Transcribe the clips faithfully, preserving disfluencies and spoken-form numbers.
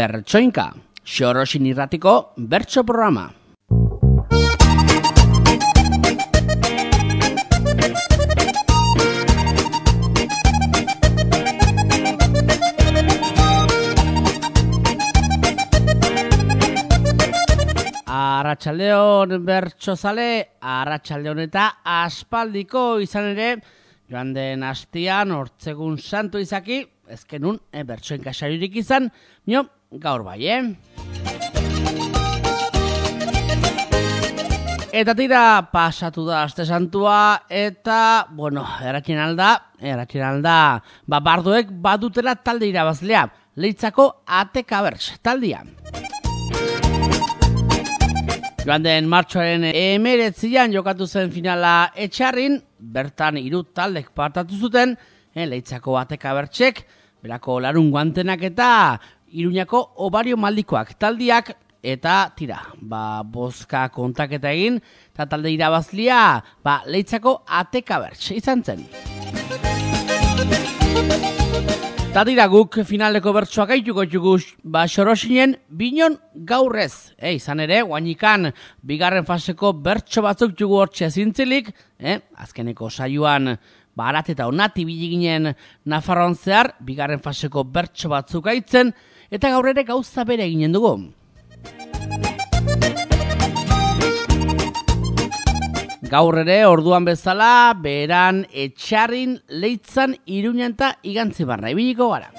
Bertsoinka, Xoroxin irratiko bertso programa. Arratsaldeon bertsozale, arratsaldeon eta aspaldiko izan ere, joan den astean hortzegun santu izaki, ezkenun e, bertsoenka saiorik izan, mio, gaur bai, eh? Eta tira pasatu da aste santua, eta, bueno, erakin alda, erakin alda, ba, bardoek badutela talde irabazlea, Leitzako Ateka Berts taldea. Joan den martxoaren emeretzian jokatu zen finala Etxarrin, bertan hiru taldek partatu zuten, eh, Leitzako Ateka Bertsek, berako larun guantenak eta Iruñako Obario Maldikoak taldiak, eta tira, ba, bozka kontaketa egin, eta talde irabazlia, ba, Leitzako Ateka Berts izan zen. Eta dira guk finaleko bertsoak aituko txugu ba, Xoroxinen binon gaurrez. E, izan ere, guainikan bigarren faseko bertso batzuk txugu hortxe zintzilik, eh, azkeneko saioan barat eta onati biliginen Nafarroan zehar, bigarren faseko bertso batzuk aitzen, eta gaur ere gauza bere eginen dugu. Gaur ere, orduan bezala, beran Etxarrin, Leitzan, Iruñan eta Igantzi barra ibiliko gara.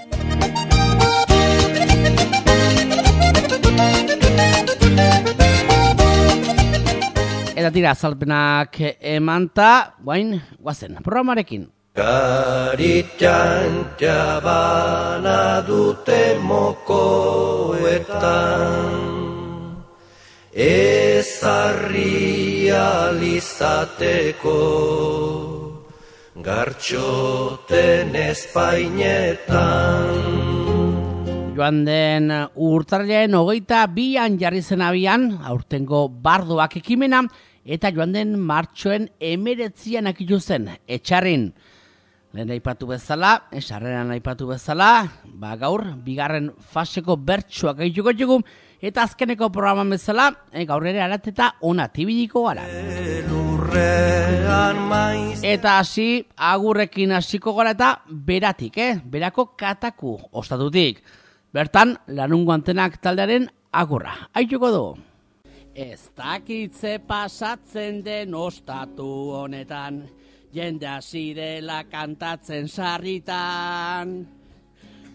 Eta tira, azalpenak emanta, guain, guazen, programarekin. Garitan jabana dute mokoetan, ezarri alizateko, gartxoten espainetan. Joan den urtarriaren hogeita bian jarri zen abian, aurtengo bardoak ekimena, eta joan den martxoen emeretzian akitu zen, Etxarrin. Lehen aipatu bezala, esarreran aipatu bezala, ba gaur, bigarren faseko bertsuak egituko txugu, eta azkeneko programan bezala, e, gaur ere arateta ona tibiliko gara. Eta hasi, agurrekin hasiko gara eta beratik, eh? Berako Kataku ostatutik. Bertan, lanun guantenak taldearen agurra. Aituko dugu. Ez dakitze pasatzen den ostatu honetan, jende hasi dela kantatzen sarritan.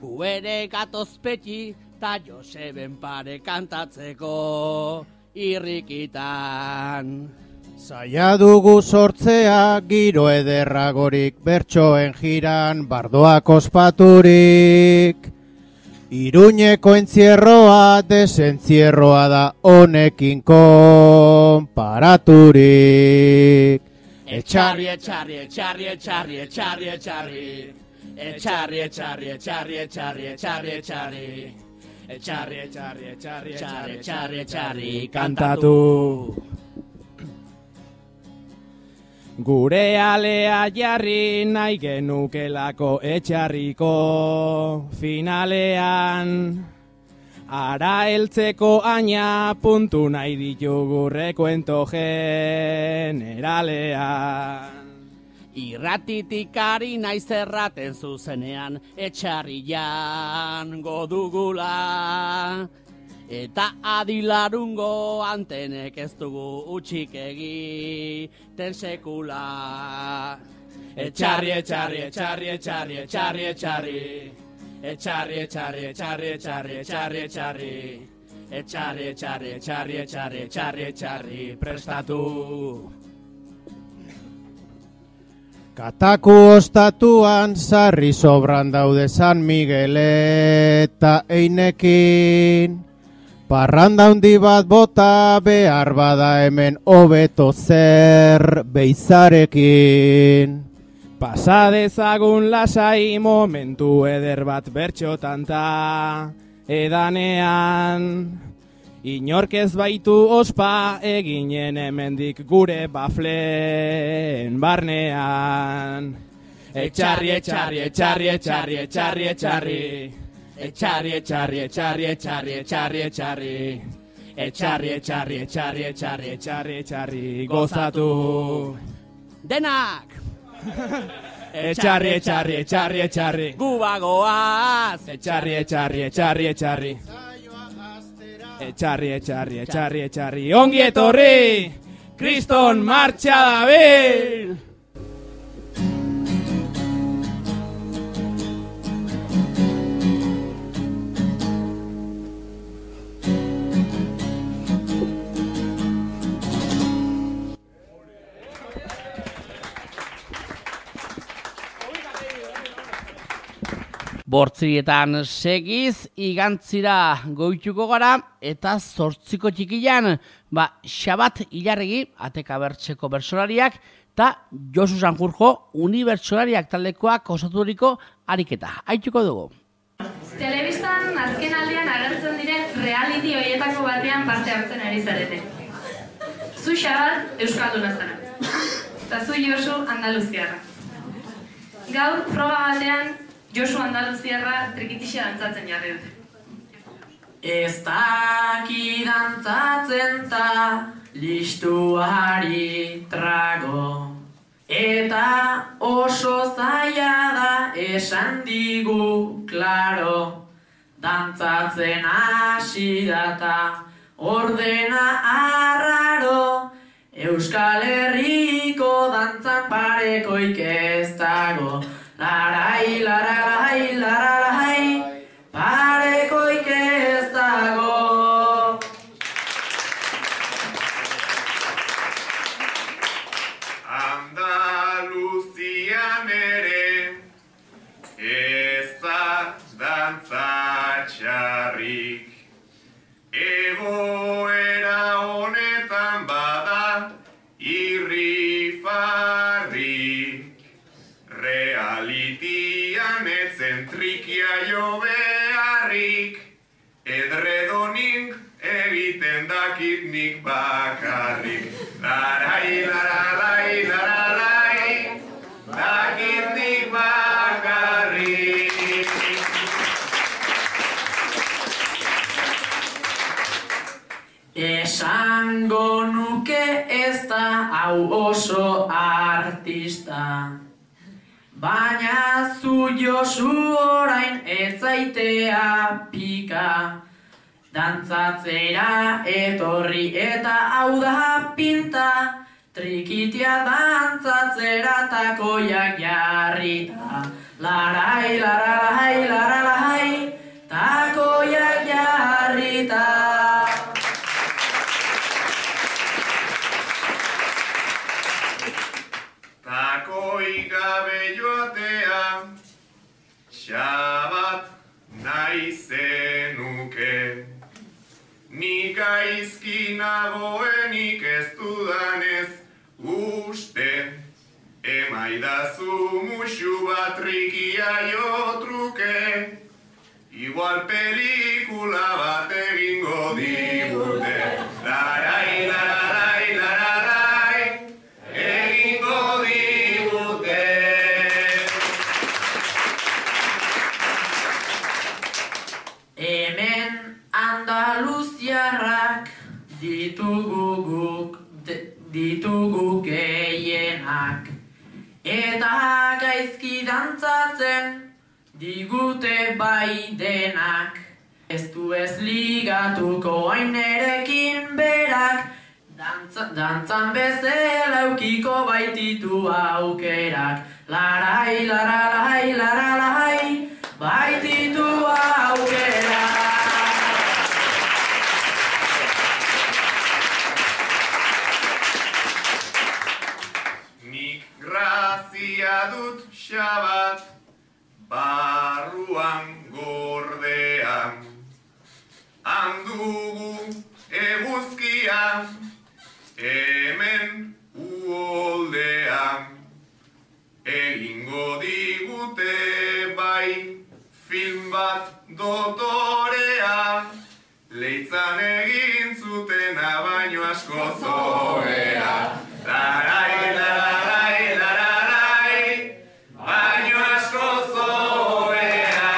Gu ere gatozpeti ta Joseben pare kantatzeko irrikitan. Zaila dugu sortzea giro ederragorik bertsoen jiran bardoak ospaturik. Iruñeko entzierroa desentzierroa da honekin konparaturik. Etxarri, etxarri, etxarri, etxarri, etxarri, etxarri. Etxarri, etxarri, etxarri, etxarri, etxarri, etxarri. Etxarri, etxarri, etxarri, etxarri, etxarri, etxarri, kantatu. Gure alea jarri nahi genukelako Etxarriko finalean. Ara heltzeko aina puntu nahi ditugu rekuento generalean. Irratitik ari naiz erraten zuzenean Etxarrian godugula. Eta adilarungo antenek ez dugu utxik egiten sekula. Etxarri, etxarri, etxarri, etxarri, etxarri, etxarri. Etxarri, etxarri, etxarri, etxarri, etxarri, etxarri. Etxarri, etxarri, etxarri, etxarri, etxarri, etxarri, prestatu. Kataku ostatuan sarri sobran daude San Miguel eta Einekin. Parranda handi bat bota behar bada hemen hobeto zer beizarekin. Pasa dezagun lasai momentu eder bat bertxotan ta edanean. Inork ez baitu ospa eginen hemendik gure bafleen barnean. Etxarri, etxarri, etxarri, etxarri, etxarri, etxarri. Etxarri, etxarri, etxarri, etxarri, etxarri, etxarri. Etxarri, etxarri, etxarri, etxarri, etxarri, etxarri, gozatu. Denak! Etxarri, etxarri, etxarri, etxarri. Gubagoaz! Etxarri, etxarri, etxarri, etxarri. Etxarri, etxarri, etxarri, etxarri. Ongi etorri! Kriston martxa dabil! Bortzirietan segiz, igantzira goituko gara, eta zortziko txikian, ba, Xabat Ilarregi, ateka bertxeko bertsolariak, eta Josu Sanjurjo, unibertsolariak taldekoak osaturiko ariketa. Haituko dugu. Telebistan azken aldean agertzen diren reality horietako batean parte hartzen ari zarete. Zu Xabat euskalduna zara, eta zu Josu Andaluziarra. Gaur proba batean Josu Andaluziarra trikitixa dantzatzen jarri dute. Ez daki dantzatzen ta listuari trago, eta oso zaila da esan digu klaro, dantzatzen hasi data ordena arraro, Euskal Herriko dantzan parekoik ez dago. Larai, larai, larai, parekoik ez dago. Andaluzian ere ez da dantza txarrik, egoera honetan bada irrifarrik. Realitian etzen trikia jo beharrik, edredonik egiten dakit nik bakarrik. Larai, larai, larai, dakit nik bakarrik. Esango nuke ez da hau oso artista, baina zu Josu orain ez zaitea pika. Dantzatzera etorri eta hau da pinta, trikitia dantzatzera takoiak jarrita. Larai, larai, larai, takoiak jarrita. Takoi gabe joatea, Xabat nahi zenuke. Nik gaizki nagoenik ez dudanez uste, emaidazu musu bat trikia jo truke, igual pelikula bat egingo digute. Larai, larai, larai, egingo digute. Hemen Andaluziarrak ditugu guk, ditugu gehienak, eta gaizki dantzatzen digute bai denak. Ez du ez ligatuko ainerekin berak, dantza, dantzan bezala eukiko baititu aukerak. Larai, larai, larai, baititu aukerak. Nik grazia dut Xabat, barruan gordean, handugu eguzkia, hemen uholdean, egingo digute bai film bat dotorea, leitzan egin zutena baino asko zoera. Larai, larai, larai, baino asko zoera.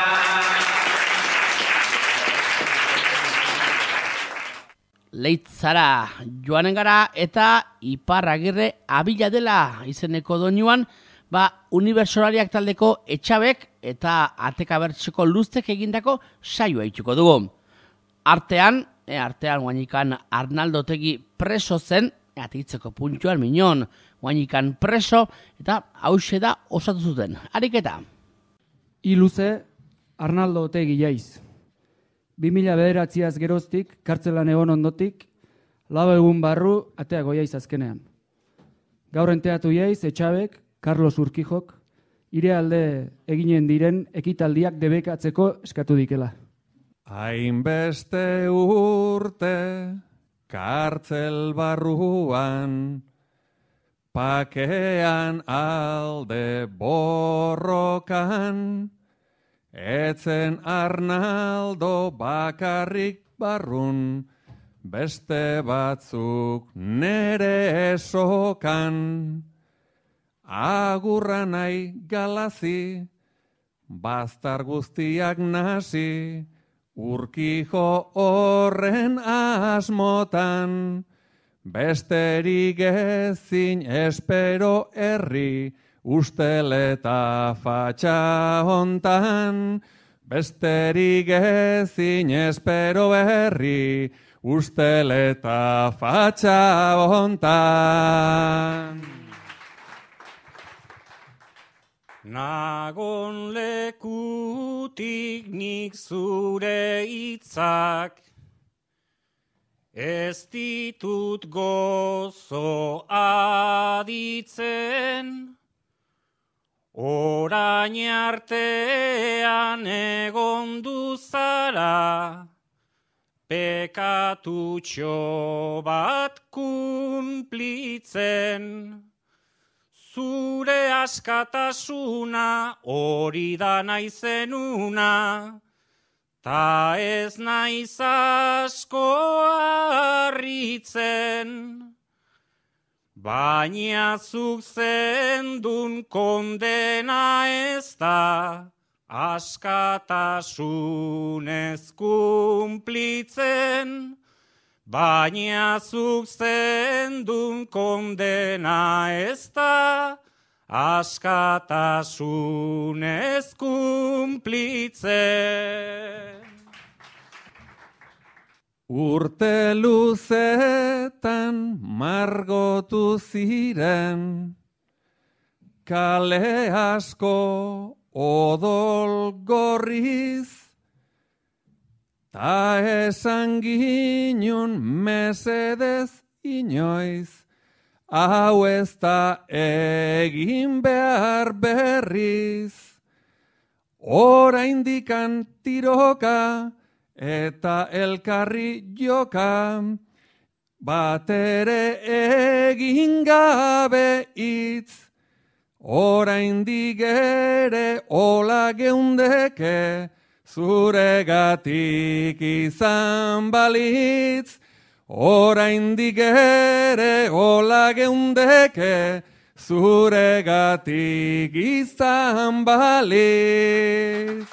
Leitzara joanen gara eta Iparragirre Abila dela izeneko doinuan, ba, unibertsolariak taldeko Etxabek eta Atekabertseko Luztek egindako saioa itxuko dugu. Artean, e, artean guainikan Arnaldo Otegi preso zen, atitzeko puntuan minon, guainikan preso, eta hause da osatu zuten. Ariketa. Iluze, Arnaldo Otegi jaiz. bi mila bederatziaz geroztik, kartzelan egon ondotik, lau egun barru ateago jaiz azkenean. Gaur enteatu jaiz, Etxabek, Carlos Urquijok, ire alde eginen diren ekitaldiak debekatzeko eskatu dikela. Hainbeste urte kartzel barruan, pakean alde borrokan, etzen Arnaldo bakarrik barrun, beste batzuk nere esokan. Agurra nahi galazi, baztar guztiak nasi, Urkijo horren asmotan, besterik ezin espero herri, usteleta fatxa hontan, besterik ezin espero herri, usteleta fatxa hontan. Nagon lekutik nik zure hitzak, ez ditut gozo aditzen, orain artean egon duzara, pekatutxo bat kunplitzen. Zure askatasuna hori da naizenuna, ta ez naiz asko harritzen. Baina zuk zendun kondena ez da, askatasunez kunplitzen. Baina zuk zendun kondena ez da, askatasunez kunplitzen. Urte luzetan margotu ziren, kale asko odol gorriz, ta esan ginen mesedez inoiz, hau ez da egin behar berriz. Oraindikan tiroka eta elkarri joka, batere egin gabe hitz. Oraindik ere ola geundeke, zuregatik izan balitz, oraindik ere hola geundeke, zuregatik izan balitz.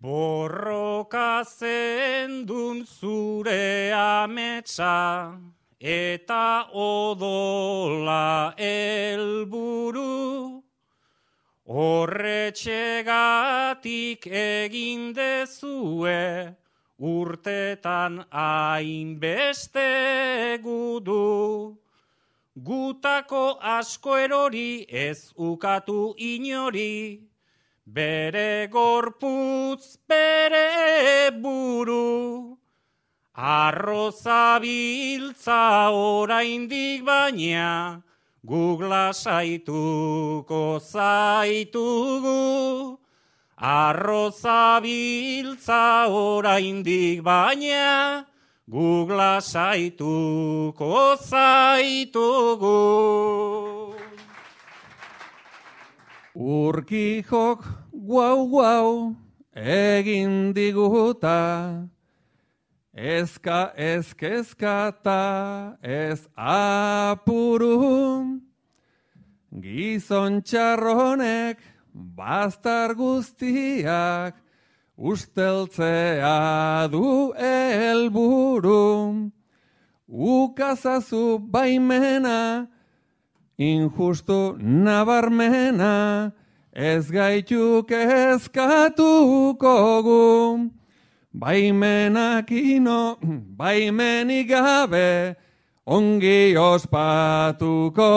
Borroka zendun zure ametsa, eta odola helburu, horretxegatik egin dezue, urtetan hainbeste gudu. Gutako asko erori ez ukatu inori, bere gorputz bere buru. Arroza biltza oraindik baina, guk lasaituko zaitugu. Arroza biltza oraindik baina, guk lasaituko zaitugu. Urkijok guau guau egin diguta, ezka ezkezkata ez apuru, gizon txarronek baztar guztiak usteltzea du helburu. Ukazazu baimena, injustu nabarmena, ez gaituk eskatuko gu. Baimenak ino, baimenik gabe, ongi ospatuko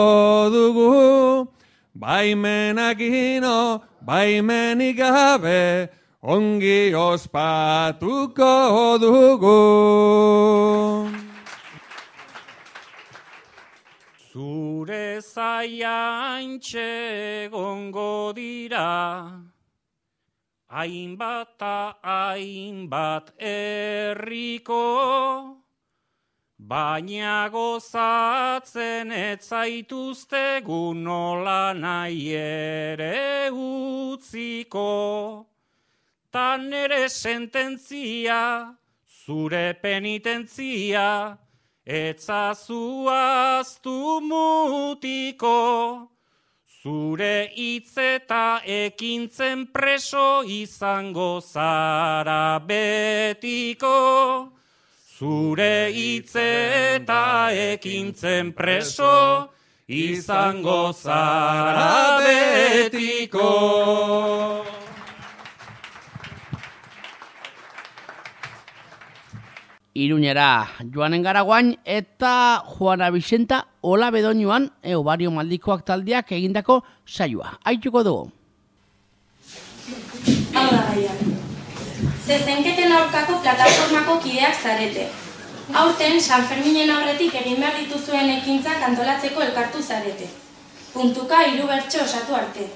dugu. Baimenak ino, baimenik gabe, ongi ospatuko dugu. Zure zaiantxe gongo dira, hainbat ta hainbat herriko, baina gozatzen ez zaituztegu nola nahi ere utziko. Ta nere sententzia, zure penitentzia, etzazu aztu mutiko. Zure hitz eta ekintzen preso izango zara betiko. Zure hitz eta ekintzen preso izango zara betiko. Iruñera joanen gara guain eta Juana Vicenta Ola Bedoñuan Eobario Maldikoak taldeak egindako saioa. Aituko dugu. Hau da gaia. Zezenketen aurkako plataformako kideak zarete. Aurten San Ferminen aurretik egin behar dituzuen ekintzak antolatzeko elkartu zarete. Puntuka hiru bertso osatu arte.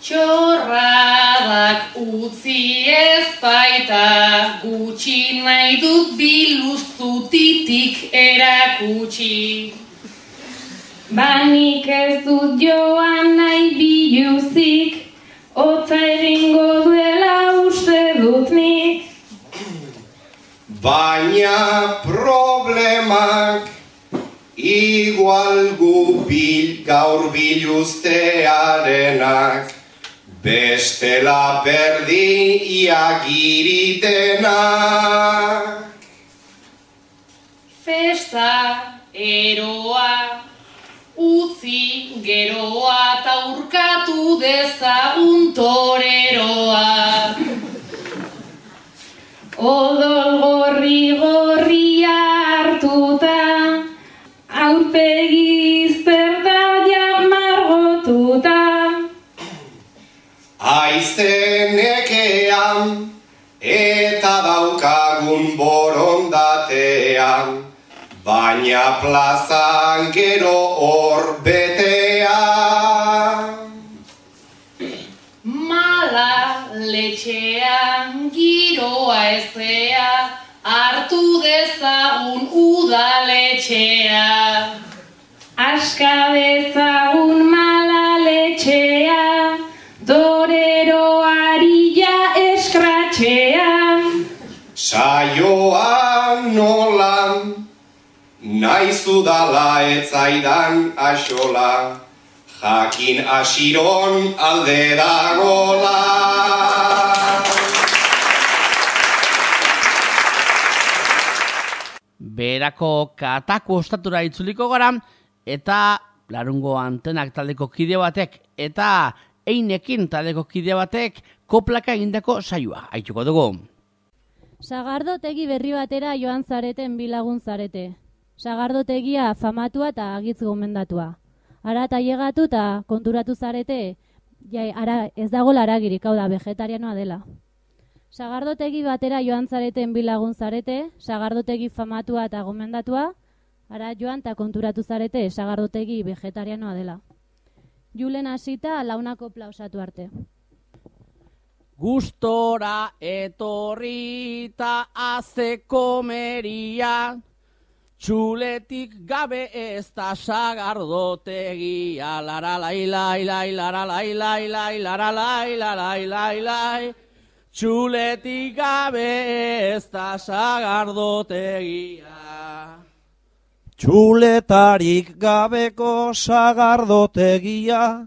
Txorradak utzi ez baita, gutxi nahi dut biluztutitik erakutsi. Banik ez dut joan nahi biluzik, hotza egingo duela uste dut nik. Baina problemak igual gu bil gaur biluztearenak. Bestela berdin iagiritenak. Festa, eroa, utzi geroa ta urkatu dezagun toreroa. Odol gorri gorria hartuta, aurpegi zerdaia margotuta. Aizenekean eta daukagun borondatean, baina plazan gero hor betean. Mala letxean giroa ezea, hartu dezagun udaletxea. Aska dezagun mala letxea, toreroari ja eskratxea. Saioan nolan, naiz dudala etzaidan axola, jakin asiron alde dagola. Berako katako ostatura itzuliko gara, eta larungo antenak taldeko kide batek, eta einekin taldeko kide batek koplaka egindako saioa. Aituko dugu. Sagardotegi berri batera joan zareten bilagun zarete. Sagardotegia famatua eta agitz gomendatua. Ara eta llegatu eta konturatu zarete, ja, ara ez dago laragirik, hau da, vegetarianoa dela. Sagardotegi batera joan zareten bilagun zarete, sagardotegi famatua eta gomendatua, ara joan eta konturatu zarete, sagardotegi vegetarianoa dela. Julen hasita launako plausatu arte. Gustora etorrita aze komeria, txuletik gabe ez da sagardotegia. Lara lai lai lai, lara lai lai lai, lara lai lai lai lai. Txuletik gabe ez da sagardotegia. Txuletarik gabeko sagardotegia,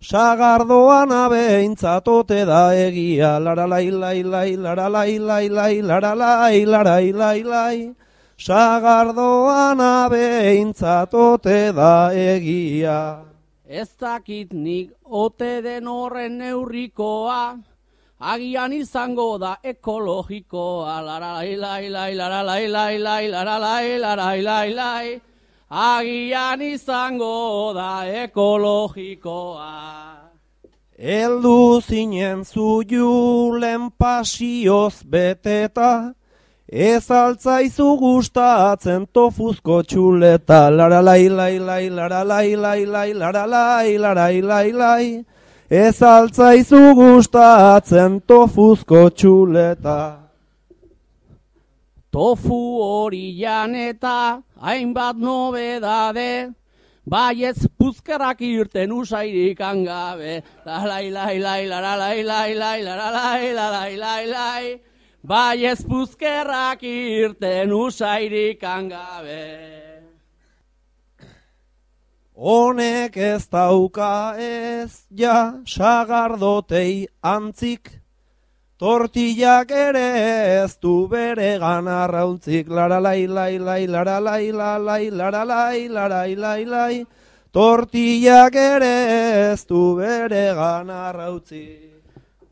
sagardoan abeintzatote da egia, laralai lai lai, laralai lai lai, laralai larai lai lai, sagardoan abeintzatote da egia. Ez dakit nik ote den horren neurrikoa, agian izango da ekologikoa, laralai lai lai, laralai lai lai, laralai larai lai lai, agian izango da ekologikoa. Eldu zinen zu julen pasioz beteta, ez altzaizu gustatzen tofuzko txuleta, laralai lai lai, laralai lai lai, laralai larai lai lai, ez altzaizu gustatzen tofuzko txuleta. Tofu hori janeta, hainbat nobedade, baietz puzkerrak irten usairik angabe, lalai lai lai, laralai lai lai, laralai lalai lai lai, baietz puzkerrak irten usairik angabe. Honek ez dauka ez ja sagardotei antzik, tortillak ere ez du bere ganarrauntzik, laralai lai lai, laralai lalai, laralai larai lai lai, tortillak ere ez du bere ganarrautzik.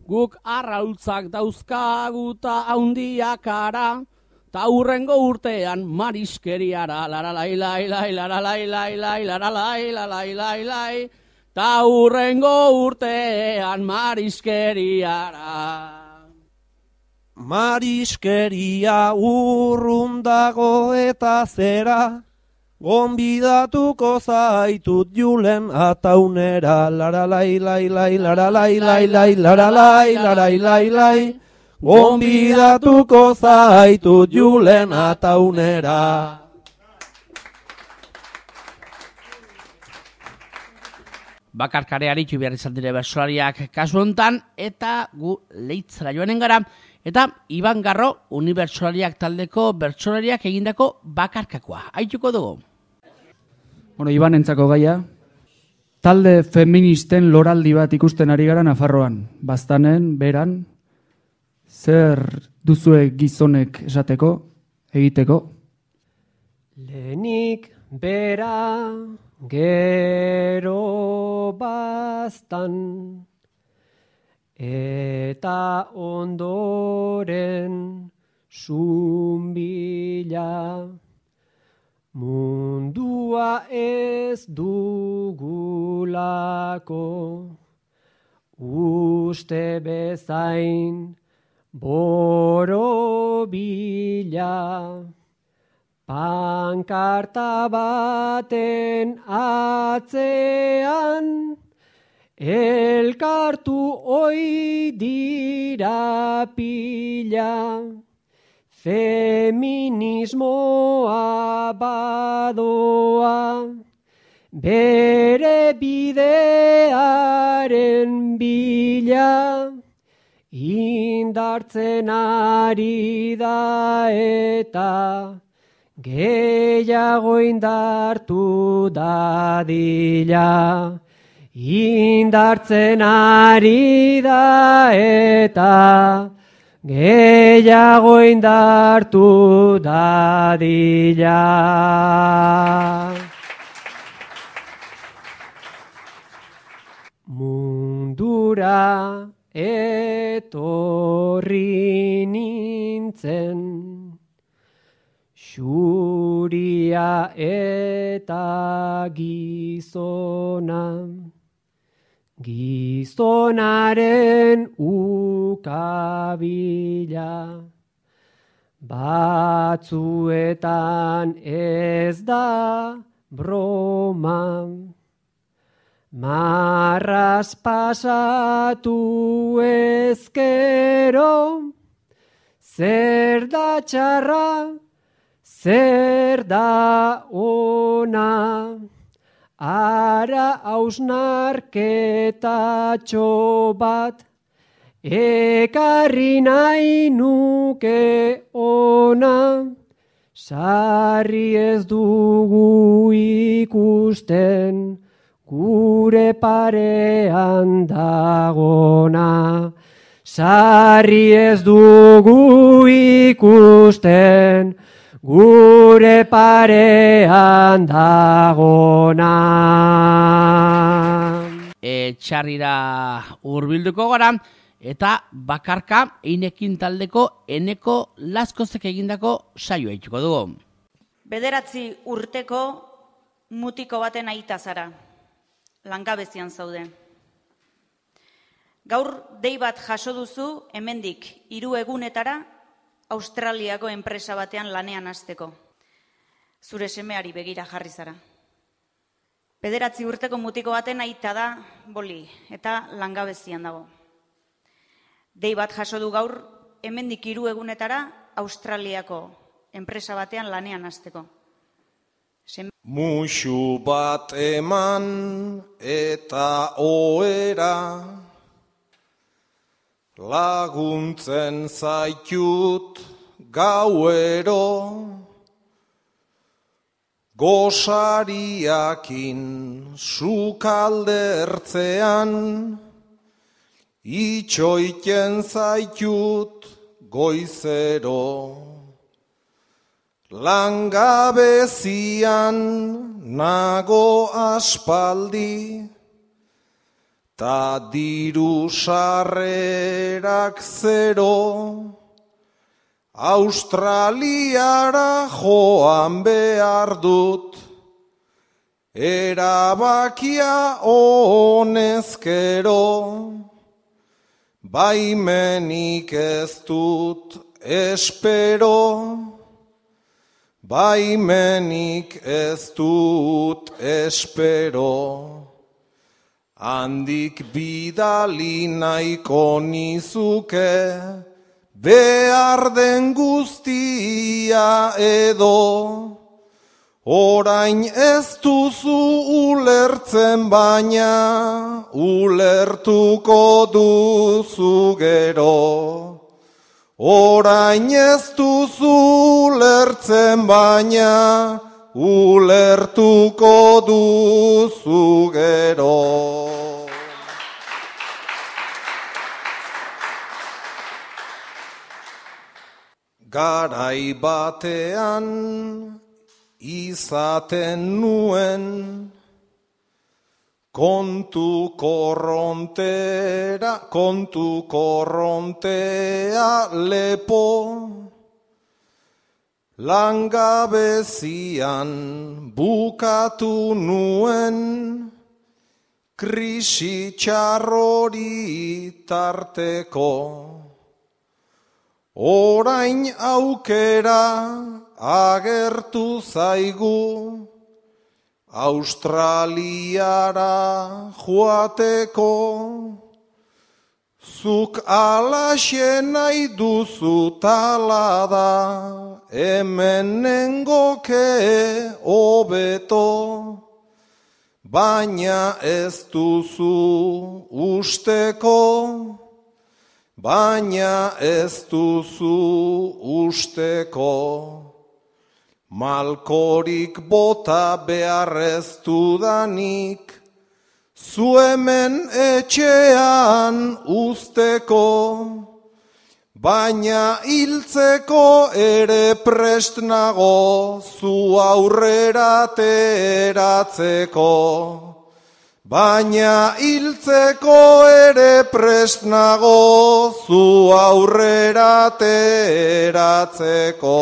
Guk arrautzak dauzkaguta haundiak ara, ta hurrengo urtean mariskeriara, laralai lai lai, laralai lai lai, laralai lalai lai lai, ta hurrengo urtean mariskeriara. Mariskeria urrun dago eta zera, gonbidatuko zaitut julen ataunera, laralai lai lai, laralai lai lai, laralai larai lai lai, gonbidatuko zaitut julen ataunera. Bakarkare aritu behar izan dire bersolariak kasu hontan, eta gu leitzara joanen gara, eta Iban Garro unibertsolariak taldeko bertsolariak egindako bakarkakoa. Aituko dugu. Bueno, Iban entzako gaia, talde feministen loraldi bat ikusten ari gara Nafarroan. Baztanen, beran, zer duzue gizonek esateko, egiteko? Lehenik bera, gero baztan, eta ondoren zumbila, mundua ez dugulako, uste bezain borobila, pankarta baten atzean, elkartu oi dira pila, feminismoa badoa, bere bidearen bila, indartzen ari da eta gehiago indartu dadila. Indartzen ari da eta gehiago indartu dadila. Mundura etorri nintzen, xuria eta gizona, gizonaren ukabila, batzuetan ez da broma, marraz pasatu ezkero, zer da txarra, zer da ona, ara hausnarketatxo bat, ekarri nahi nuke ona, sarri ez dugu ikusten gure parean dagona, sarri ez dugu ikusten, gure parean dagona. Etxarrira hurbilduko gara, eta bakarka einekin taldeko Eneko Laskozek egindako saioa itxuko dugu. Bederatzi urteko mutiko baten aita zara, langabezian zaude. Gaur dei bat jaso duzu hemendik hiru egunetara Australiako enpresa batean lanean hasteko. Zure semeari begira jarri zara. Bederatzi urteko mutiko baten aita da boli eta langabezian dago. Dei bat jaso du gaur hemendik hiru egunetara Australiako enpresa batean lanean hasteko. Muxu bat eman eta ohera, laguntzen zaitut gauero, gosariakin sukaldertzean, itxoiten zaitut goizero. Langabezian nago aspaldi, ta diru sarrerak zero, Australiara joan behar dut, erabakia honezkero, baimenik ez dut espero, baimenik ez dut espero, handik bidali nahiko nizuke, behar den guztia edo, orain ez duzu ulertzen baina, ulertuko duzu gero. Orain ez duzu ulertzen baina, ulertuko duzu gero. Garai batean izaten nuen, kontu korrontera, kontu korrontea lepo, langabezian bukatu nuen, krisi txarrori tarteko. Orain aukera agertu zaigu, Australiara joateko, zuk alaxe nahi duzu talada, hemen nengoke hobeto, baina ez duzu usteko, baina ez duzu usteko. Malkorik bota beharrez dudanik, zu hemen etxean usteko, baina hiltzeko ere prest nago, zu aurrera teratzeko. Baina hiltzeko ere prest nago, zu aurrera teratzeko.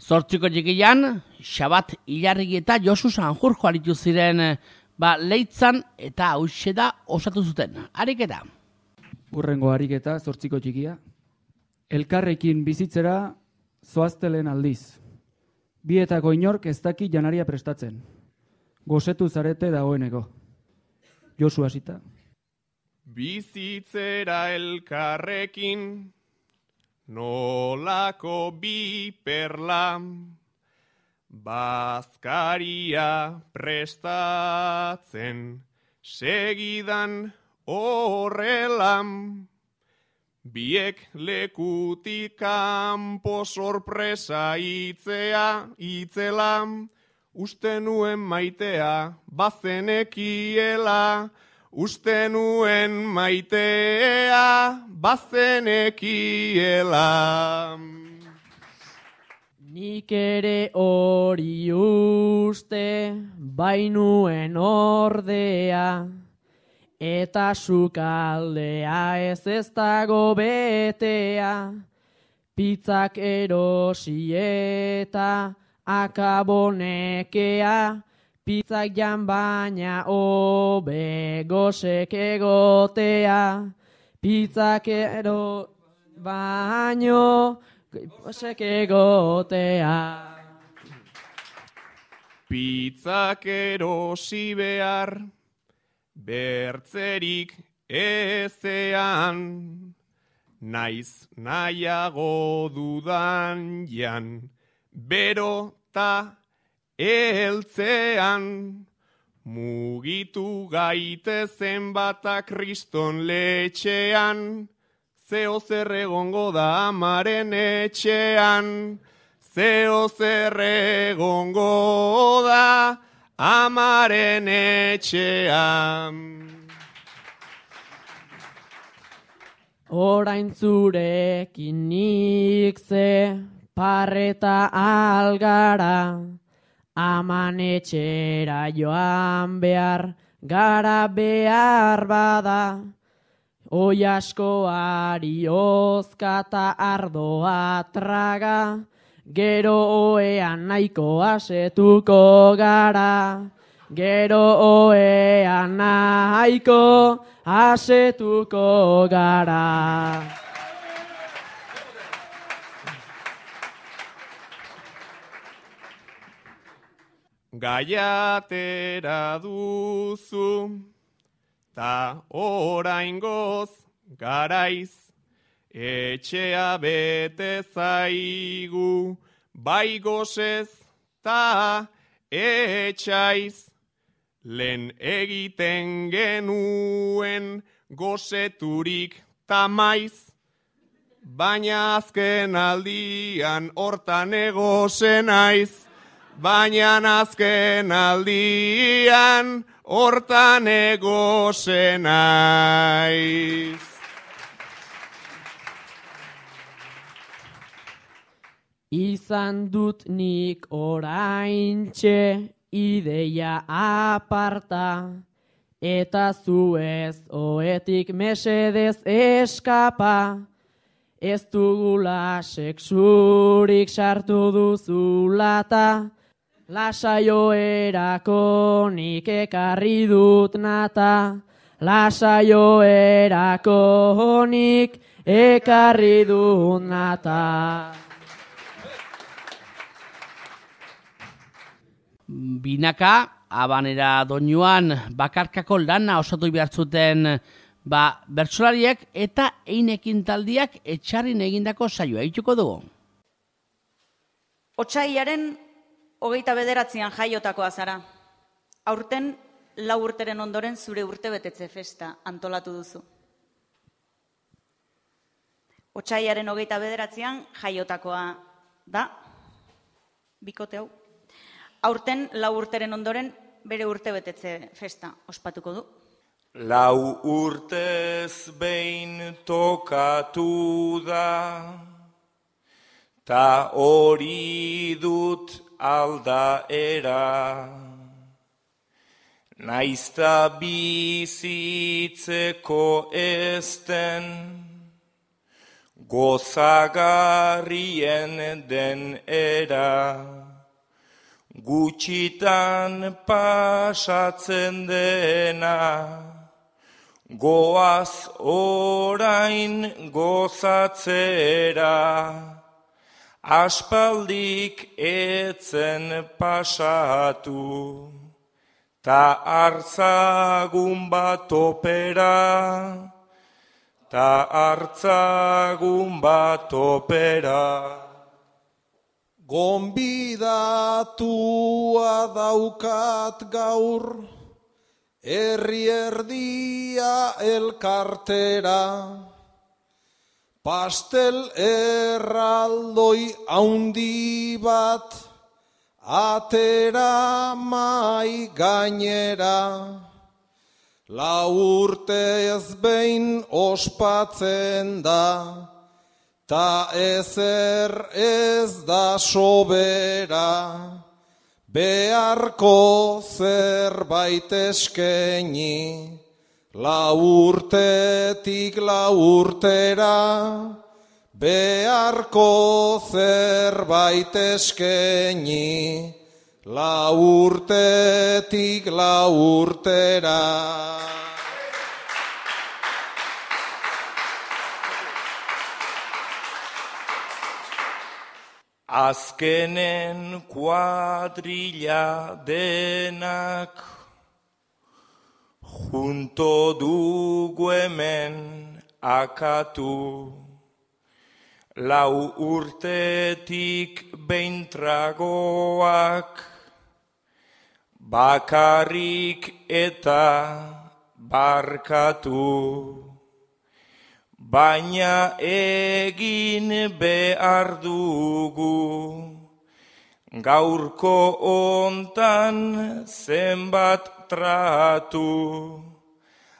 Zortziko txikian, Xabat Ilarregi eta Josu Sanjurjo aritu ziren ba, Leitzan eta hauxe da osatu zuten. Ariketa. Urrengo ariketa, zortziko txikia. Elkarrekin bizitzera zoaztelen aldiz. Bietako inork ez daki janaria prestatzen. Gozetu zarete dagoeneko. Josu hasita. Bizitzera elkarrekin, nolako bi perla, bazkaria prestatzen, segidan horrela, biek lekutik kanpo sorpresa itzea, itzela, uste nuen maitea, bazenekiela, uste nuen maitea, bazenekiela. Nik ere hori uste, bainuen ordea, eta sukaldea ez ez dago betea, pizzak erosi eta akabonekea, pizzak jan baina hobe gosek egotea, pizzak ero baino gosek egotea. Pizzak erosi behar, bertzerik ezean, naiz nahiago dudan jan, bero ta eltzean, mugitu gaitezen bata kriston letxean, zeo zer egongo da amaren etxean, zeo zer egongo da amaren etxean. Orain zurekin nik ze parreta algara, aman etxera joan behar, gara behar bada, oi askoari ozkata ardoa traga, gero oean nahiko asetuko gara, gero oean nahiko asetuko gara. Gaiatera duzu, ta oraingoz garaiz, etxea bete zaigu, bai gozez ta etxaiz, lehen egiten genuen gozeturik ta maiz, baina azken aldian hortan egozen naiz, baina azken aldian hortan egozen naiz. Izan dut nik oraintxe ideia aparta, eta zu ez oetik mesedez eskapa, ez dugula sexurik sartu duzulata, lasaioerako nik ekarri dut nata, lasaioerako nik ekarri dut nata. Binaka, abanera doinuan bakarkako lana osatu behartzuten ba, bertsolariek eta einekin taldiak etxarrin egindako saioa egituko dugu. Otsaiaren hogeita bederatzean jaiotakoa zara. Aurten lau urteren ondoren zure urtebetetze festa antolatu duzu. Otsaiaren hogeita bederatzean jaiotakoa da, bikote hau. Aurten lau urteren ondoren bere urtebetetze festa ospatuko du. Lau urtez behin tokatu da, ta hori dut aldaera. Naizta bizitzeko ezten, gozagarrien den era. Gutxitan pasatzen dena, goaz orain gozatzera, aspaldik etzen pasatu, ta hartzagun bat opera, ta hartzagun bat opera. Gonbidatua daukat gaur, herri erdia elkartera, pastel erraldoi haundi bat, atera mai gainera, lau urtez behin ospatzen da, ta ezer ez da sobera, beharko zerbait eskaini, lau urtetik lau urtera, beharko zerbait eskaini, lau urtetik lau urtera. Azkenen kuadrilla denak junto dugu hemen akatu, lau urtetik behin tragoak, bakarrik eta barkatu. Baina egin behar dugu, gaurko hontan zenbat tratu,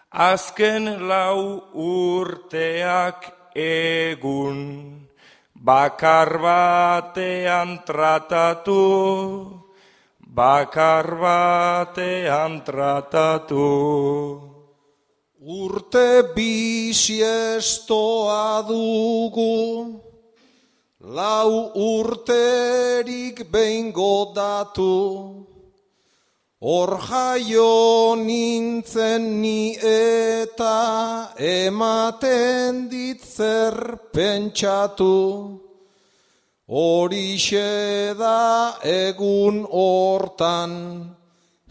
azken lau urteak egun, bakar batean tratatu, bakar batean tratatu. Urte bisiestoa dugu, lau urterik behin godatu, hor jaio nintzen ni eta ematen dit zer pentsatu, horixe da egun hortan,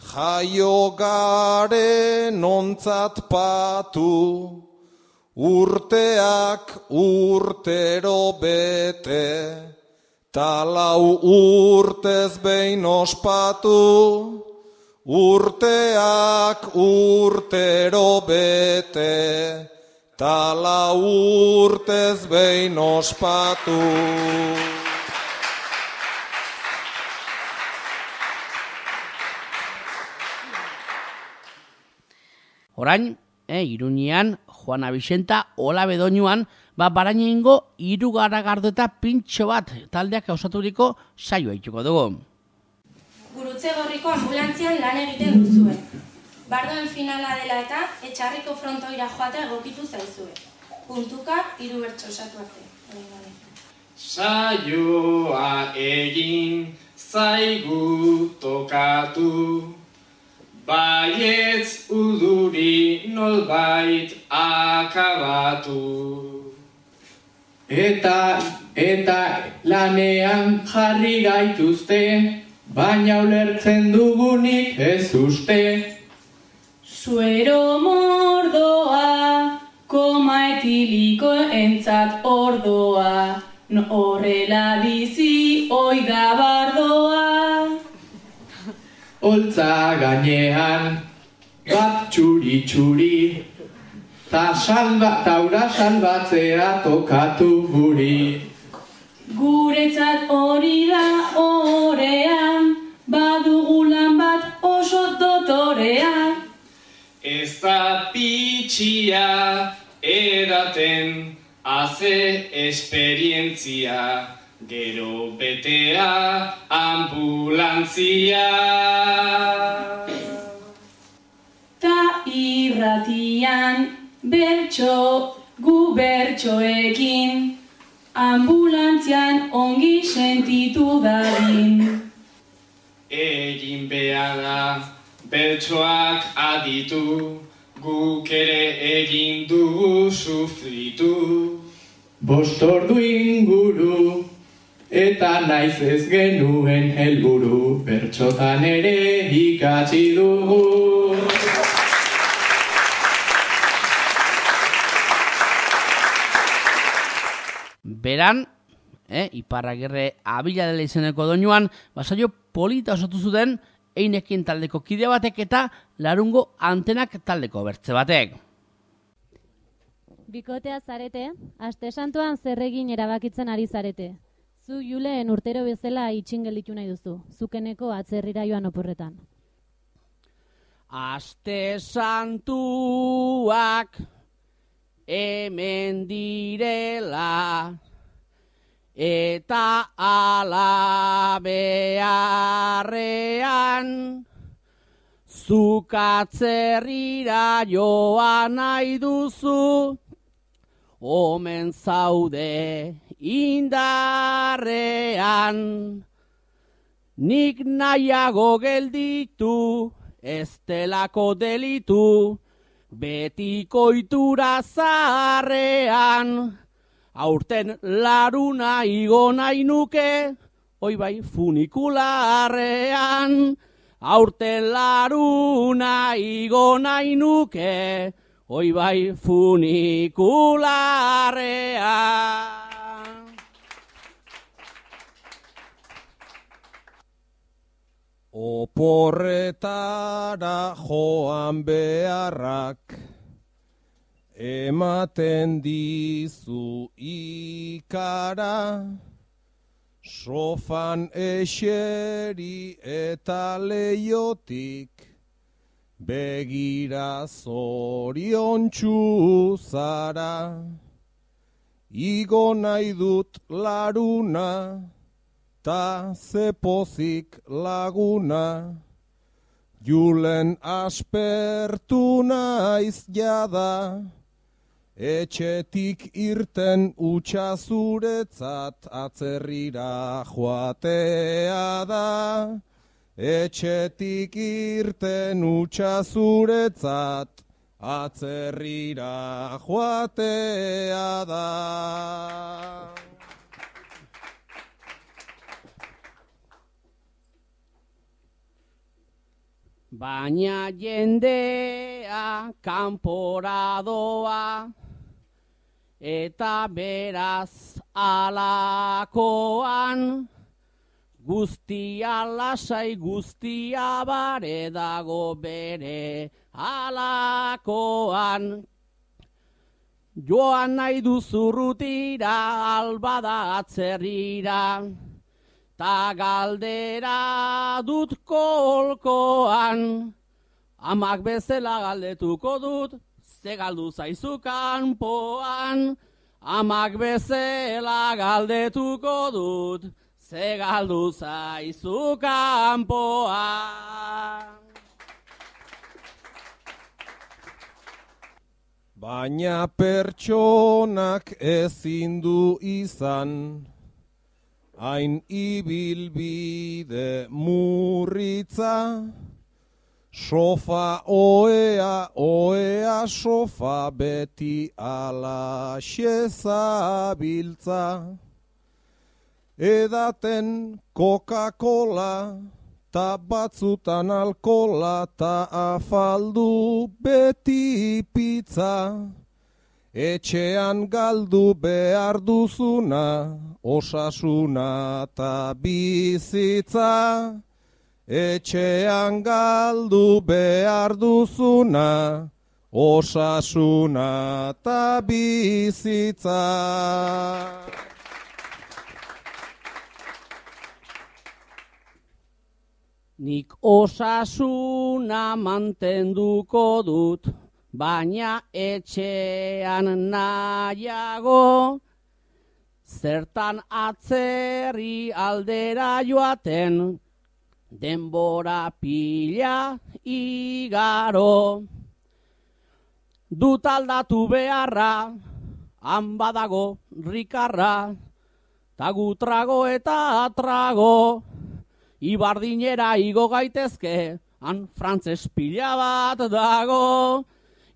jaio garen ontzat patu, urteak urtero bete, ta lau urtez behin ospatu, urteak urtero bete, ta lau urtez behin ospatu. Orain, eh, Iruñean, Juana Bixenta, Ola Bedoñuan, ba, Barainengo hiru garagardo eta pintxo bat taldeak osaturiko saioa ituko dugu. Gurutze Gorriko ambulantzian lan egiten duzue. Bardoen finala dela eta Etxarriko frontoira joatea egokitu zaizue. Puntuka hiru bertso osatu arte. Saioa egin zaigu tokatu, baietz uduri nolbait akabatu. Eta, eta lanean jarri gaituzte, baina ulertzen dugunik ez uste. Suero mordoa, koma etiliko entzat ordoa, no horrela bizi oida bardoa. Holtza gainean, bat txuri-txuri, ta salba, taura salbatzea tokatu guri. Guretzat hori da orean, badugulan bat oso dotorea. Ez da pitxia edaten, haze esperientzia, gero betea ambulantzia. Ta irratian bertso gu bertsoekin, ambulantzian ongi sentitu dadin. Egin behar da bertsoak aditu, guk ere egin dugu sufritu. Bost ordu inguru, eta naiz ez genuen helburu, bertsotan ere ikatsi dugu. Beran, eh, Iparragirre Abila dela izeneko doinuan, basaio polita osatu zuten Einekin taldeko kide batek eta Larungo Antenak taldeko bertze batek. Bikotea zarete, aste santuan zer egin erabakitzen ari zarete. Zu Julen urtero bezala itxin gelditu nahi duzu, zukeneko atzerrira joan oporretan. Aste santuak hemen direla, eta ala beharrean, zuk atzerrira joan nahi duzu, omen zaude indarrean. Nik nahiago gelditu, ez delako delitu, betiko itura zaharrean. Aurten laruna igo nahi nuke, oi bai funikularrean. Aurten laruna igo nahi nuke, oi bai funikularrean. Oporretara joan beharrak, ematen dizu ikara, sofan eseri eta leiotik, begira zoriontsu zara. Igo nahi dut laruna, ta zepozik laguna, Julen aspertu naiz jada, etxetik irten utxa zuretzat atzerrira joatea da. Etxetik irten utxa zuretzat atzerrira joatea da. Baina jendea kanpora doa, eta beraz alakoan, guztia lasai guztia bare dago bere alakoan. Joan nahi duzurrutira albada atzerrira, ta galdera dut kolkoan. Amak bezala galdetuko dut, ze galdu zaizu kanpoan. Amak bezala galdetuko dut, ze galdu zaizu kanpoan. Baina pertsonak ezin du izan, hain ibilbide murritza, sofa oea, oea sofa beti alaxe zabiltza. Edaten Coca-Cola, ta batzutan alkola, ta afaldu beti pizza. Etxean galdu behar duzuna, osasuna ta bizitza. Etxean galdu behar duzuna, osasuna ta bizitza. Nik osasuna mantenduko dut, baina etxean nahiago, zertan atzerri aldera joaten, denbora pila igaro. Dut aldatu beharra, han badago rikarra, tagu trago eta trago, ibardinera igo gaitezke, han frantses pila bat dago.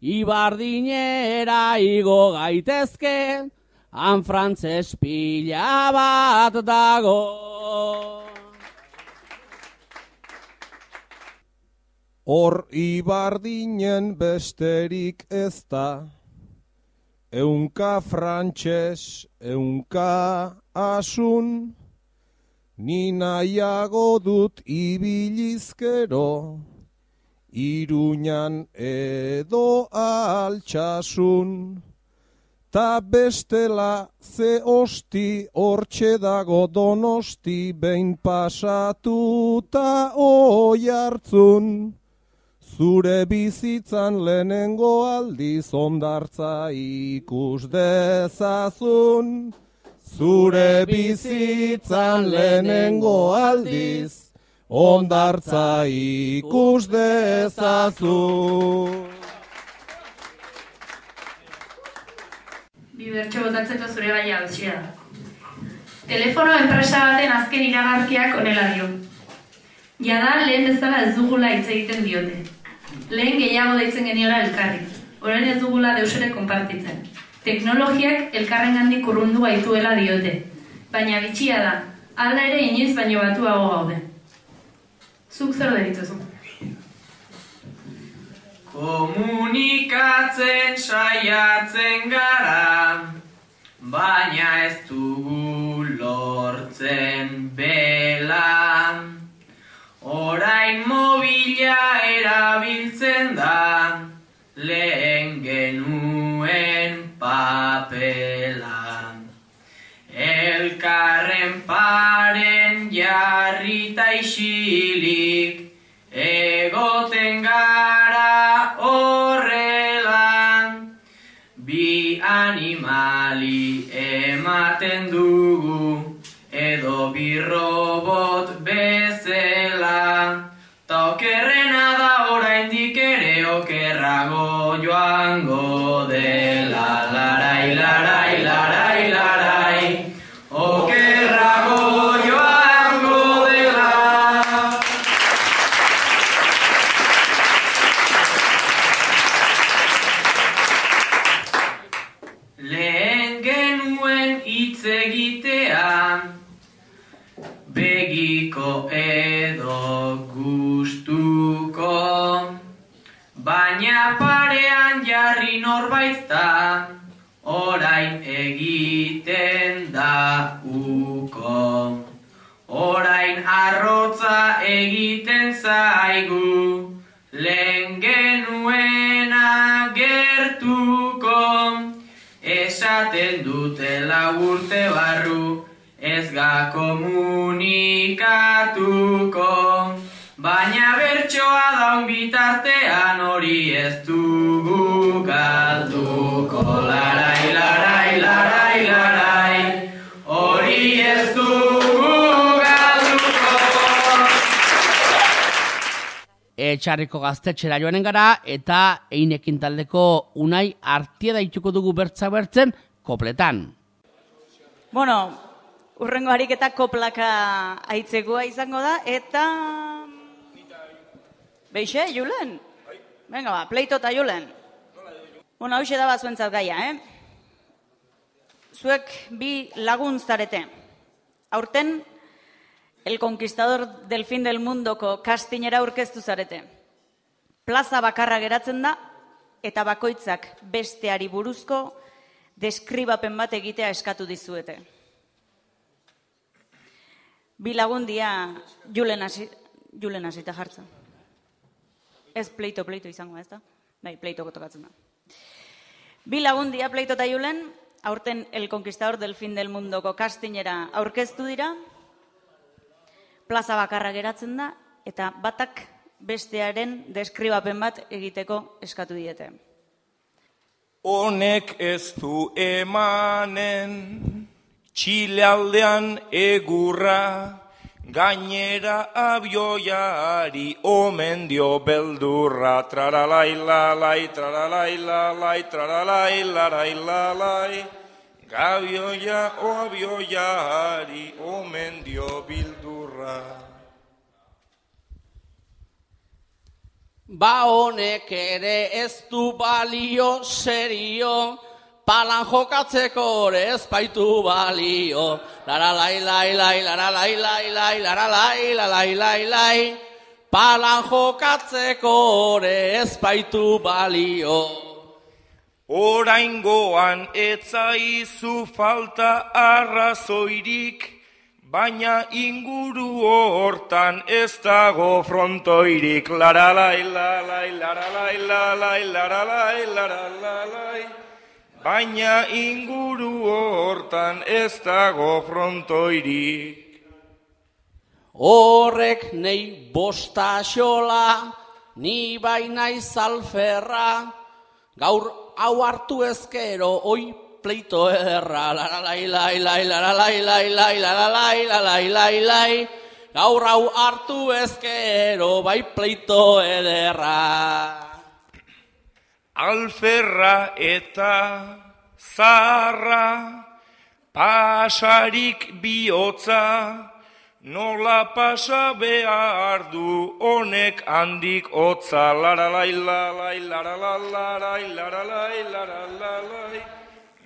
Ibardinera igo gaitezke, han frantses pila bat dago. Hor ibardinen besterik ez da, eunka frantses, eunka asun, ni nahiago dut ibilizkero, Iruñan edo altsasun. Ta bestela ze osti hortxe dago Donosti behin pasatuta oi hartzun. Zure bizitzan lehenengo aldiz hondartza ikus dezazun. Zure bizitzan lehenengo aldiz hondartza ikus dezazun. Bi bertso botatzeko zure gaia hausia da. Telefono enpresa baten azken iragarkiak honela dio. Jada lehen bezala ez dugula hitz egiten diote. Lehen gehiago deitzen geniola elkarri. Orain ez dugula deusere konpartitzen. Teknologiak elkarrengandik urrundu gaituela diote. Baina bitxia da, alda ere inoiz baino batuago gaude. Zuk zer deritzozu? Komunikatzen saiatzen gara, baina ez dugu lortzen bela. Orain mobila erabiltzen da, lehen genuen papela. Elkarren paren jarrita isilik, egoten gara horrela. Bi animali ematen dugu, edo bi robot bezala. Ta okerrena da oraindik ere okerrago joango dela. Larai, larai, larai, larai, okerrago joango dela. Lehen genuen hitz egitea, begiko edo gustuko, baina parean jarri norbaitza, orain egiten da uko. Orain arrotza egiten zaigu, lehen genuena gertuko. Esaten dutela urte barru, ez ga komunikatuko. Baina bertsoa daun bitartean hori ez dugu galduko. Larai, larai, larai, larai, hori ez dugu galduko. Etxarriko gaztetxera joanen gara, eta Einekin taldeko Unai Artieda ituko dugu bertza bertzen kopletan. Bueno, urrengo ariketa koplaka aitzekoa izango da, eta... Beixe, Julen? Venga ba, pleito eta Julen. Bueno, hauxe da bazuentzat gaia, eh? Zuek bi lagun zarete. Aurten, El Conquistador del Fin del Mundoko kastinera aurkeztu zarete. Plaza bakarra geratzen da, eta bakoitzak besteari buruzko deskribapen bat egitea eskatu dizuete. Bi lagundia Julen hasi, Julen hasita jartzen. Ez pleito, pleito izango, ez da? Bai, pleitoko tokatzen da. Bi lagundia pleito eta Julen, aurten El Conquistador del Fin del Mundoko kastinera aurkeztu dira, plaza bakarra geratzen da, eta batak bestearen deskribapen bat egiteko eskatu diete. Honek ez du emanen, Txile aldean egurra, gainera abioiari omen dio beldurra. Traralai lalai, traralai lalai, traralai larai lalai, gabioia o abioiari omen dio bildurra. Ba honek ere ez du balio serio, palan jokatzeko ere ez baitu balio. Laralai, lai, lai, laralai, lai, lai, laralai, lalai, lai, lai, palan jokatzeko ere ez baitu balio. Oraingoan etzaizu falta arrazoirik, baina inguru hortan ez dago frontoirik. Laralai, lalai, laralai, lalai, laralai, laralai, baina inguru hortan ez dago frontoirik. Horrek nei bosta xola, ni baina izalferra, gaur hau hartu ezkero, oi pleito ederra, laralai, lai, lai, laralai, lai, lai, laralai, laralai, lai, lai, gaur hau hartu ezkero, bai pleito ederra. Alferra eta zarra, pasarik bihotza, nola pasa behar du honek handik hotza, laralai, lalai, laralai, laralai, laralai,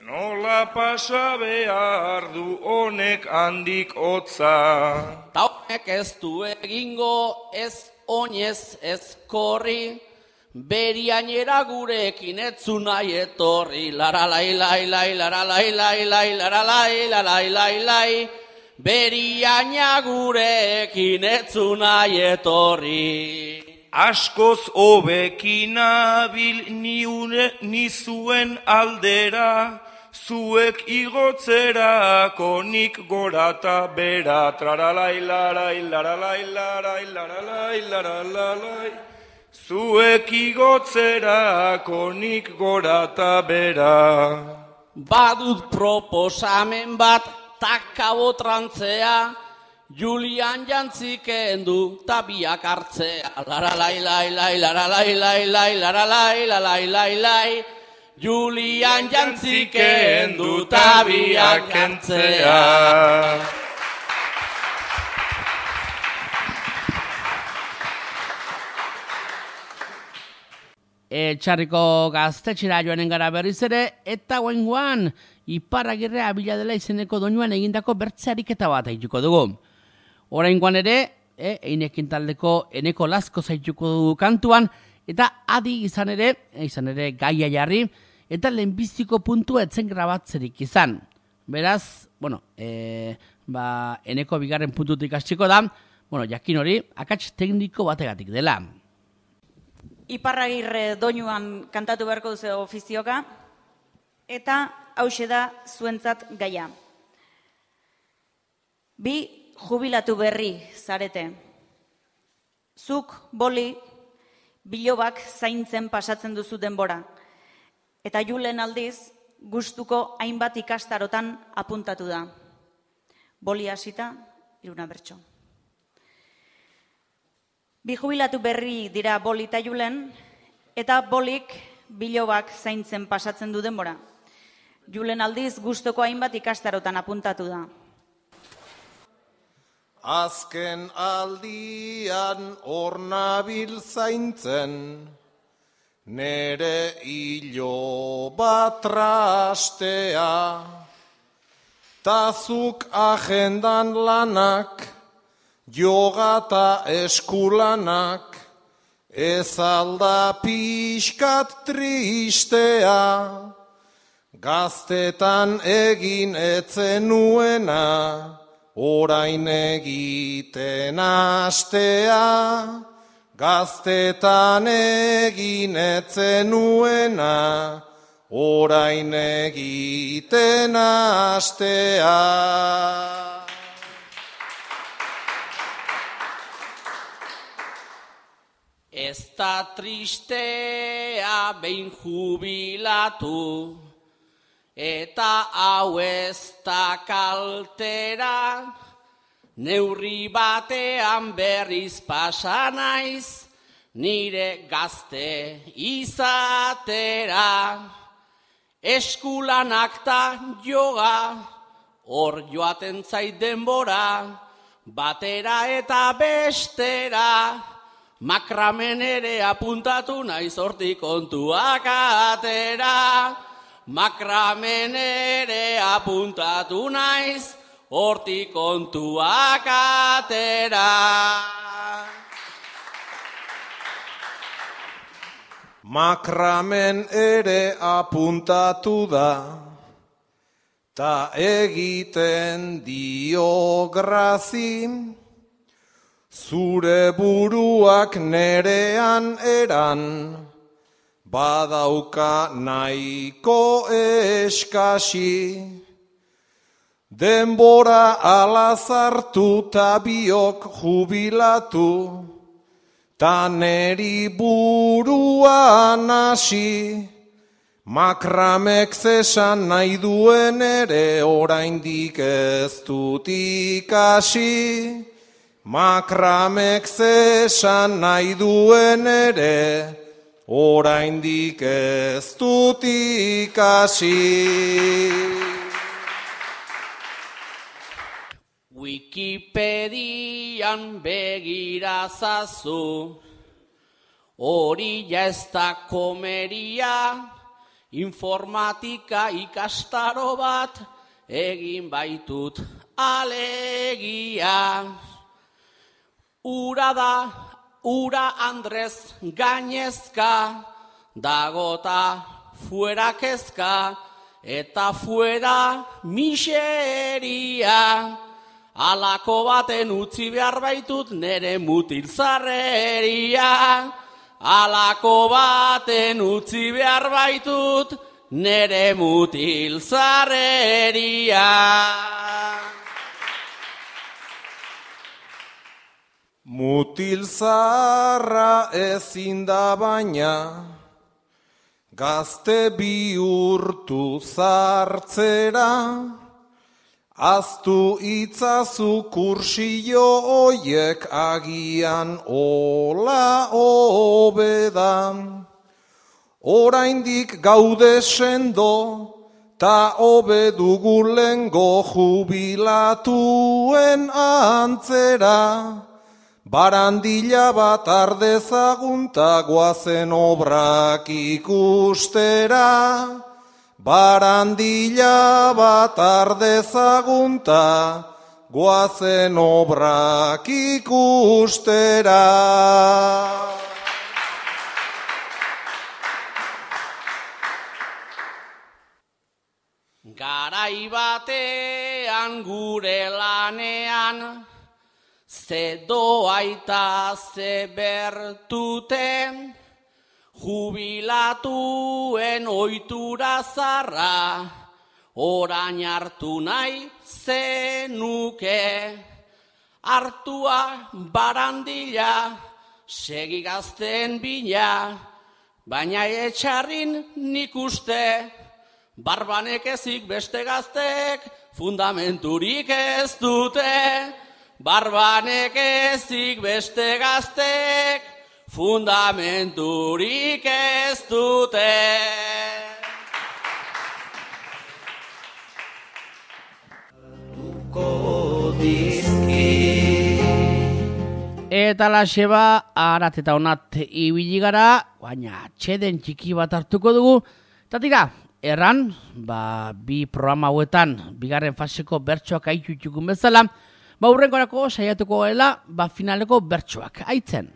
nola pasa behar du honek handik hotza. Ta honek ez du egingo ez oinez ez korri, beriainera gurekin etzu nahi etorri, laralai, lai, lai, laralai, lai, lai, laralai, lalai, lai, lai, beriaina gurekin etzu nahi etorri. Askoz hobekin nabil nizuen aldera, zuek igotzerako nik gorata bera, traralai, larai, laralai, larai, laralai, laralai, zuek igotzerako nik gorata bera. Badut proposamen bat, takabo trantzea, Julian jantziken du tabiak hartzea, laralai, lai, lai, laralai, lai, lai, laralai, lalai, lai, lai, Julian jantziken du tabiak hartzea. Etxarriko gaztetxera joanen gara berriz ere, eta guaingoan, Iparragirre Abila dela izeneko doinuan egindako bertzeariketa bat haituko dugu. Oraingoan ere, e, einekin taldeko eneko lasko zaituko dugu kantuan, eta adi izan ere, e, izan ere gaia jarri, eta lehenbiziko puntua etzen grabatzerik izan. Beraz, bueno, e, ba, eneko bigarren puntutik hastiko da, bueno, jakin hori, akats tekniko bategatik dela. Iparragirre doinuan kantatu beharko duzu ofizioka, eta hauxe da zuentzat gaia. Bi jubilatu berri zarete. Zuk, boli, bilobak zaintzen pasatzen duzu denbora. Eta Julen aldiz, gustuko hainbat ikastarotan apuntatu da. Boli hasita, iruna bertso. Bi jubilatu berri dira Boli eta Julen, eta Bolik bilobak zaintzen pasatzen du denbora. Julen aldiz gustoko hainbat ikastarotan apuntatu da. Azken aldian hor nabil zaintzen, nere hilo bat trastea, tazuk agendan lanak, yoga ta eskulanak, ez alda pixkat tristea, gaztetan egin etzen nuena, orain egiten astea, gaztetan egin etzen nuena, orain egiten astea. Ez da tristea behin jubilatu, eta hau ez da kaltera, neurri batean berriz pasa naiz, nire gazte izatera. Eskulanak ta joga, hor joaten zait denbora, batera eta bestera, makramen ere apuntatu naiz hortik kontuak atera. Makramen ere apuntatu naiz, hortik kontuak atera. Makramen ere apuntatu da, ta egiten dio grazi, zure buruak nerean eran, badauka nahiko eskasi. Denbora alazartu ta biok jubilatu, ta neri buruan hasi. Makramek zesan nahi duen ere oraindik ez dut ikasi. Makramek zesan nahi duen ere oraindik ez dut ikasi. Wikipedian begirazazu, hori ja ez da komeria, informatika ikastaro bat egin baitut alegia. Ura da, ura Andrez gainezka, dagota fuera kezka, eta fuera miseria. Alako baten utzi behar baitut nere mutilzarreria. Alako baten utzi behar baitut nere mutilzarreria. Mutilzarra ezin da baina, gazte bihurtu zartzera, aztu itzazu kursillo oiek agian ola hobedan. Oraindik gaude sendo, ta hobe dugu lengo jubilatuen antzera. Barandila bat ardezagun ta goazen obrak ikustera. Barandila bat ardezagun ta goazen obrak ikustera. Garai batean gure lanean, ze doaita ze bertute, jubilatuen ohitura zarra, orain hartu nahi zenuke. Hartua barandila, segi gazten bila, baina etxarrin nik uste, barbanek ezik beste gaztek, fundamenturik ez dute. Barbanek ezik beste gaztek, fundamenturik ez dute. Eta laxe ba, arat eta onat ibili gara, baina txeden txiki bat hartuko dugu. Eta tira, erran, ba, bi programa hauetan, bigarren faseko bertsoak aitutxukun bezala, ba, hurrengorako saiatuko gela, ba, finaleko bertsoak aitzen.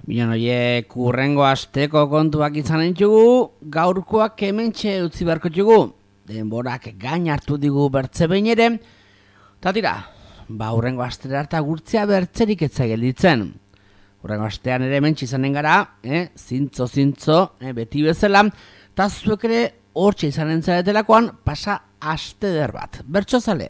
Bilan horiek hurrengo asteko kontuak izan entzugu, gaurkoak hementxe utzi beharko txugu, denborak gain hartu digu bertze behin ere, eta tira, ba, hurrengo astera harta gurtzea bertzerik etza gelditzen. Hurrengo astean ere hementxe izanen gara, eh? zintzo, zintzo, eh? beti bezala, eta zuek ere hortxe izanen zaretelakoan pasa aste der bat. Bertso zale.